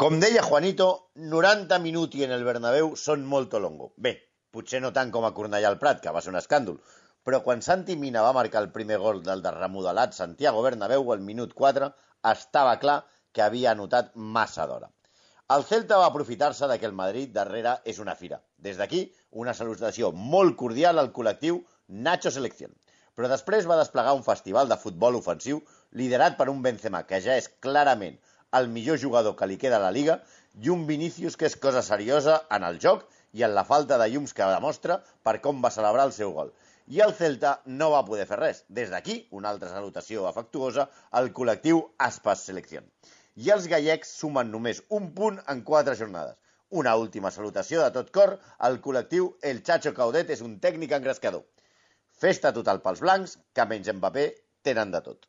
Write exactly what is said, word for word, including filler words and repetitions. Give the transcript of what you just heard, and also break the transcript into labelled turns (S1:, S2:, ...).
S1: Com deia Juanito, noranta minuti en el Bernabéu són molto longo. Bé, potser no tant com a Cornellà al Prat, que va ser un escàndol, però quan Santi Mina va marcar el primer gol del remodelat Santiago Bernabéu al minut quatre, estava clar que havia anotat massa d'hora. El Celta va aprofitar-se de que el Madrid darrere és una fira. Des d'aquí, una salutació molt cordial al col·lectiu Nacho Selección. Però després va desplegar un festival de futbol ofensiu liderat per un Benzema que ja és clarament el millor jugador que li queda a la Liga i un Vinícius que és cosa seriosa en el joc i en la falta de llums que demostra per com va celebrar el seu gol. I el Celta no va poder fer res. Des d'aquí, una altra salutació afectuosa al col·lectiu Aspas Selección. I els gallecs sumen només un punt en quatre jornades. Una última salutació de tot cor al col·lectiu El Chacho Caudet és un tècnic engrescador. Festa total pels blancs, que menys Mbappé tenen de tot.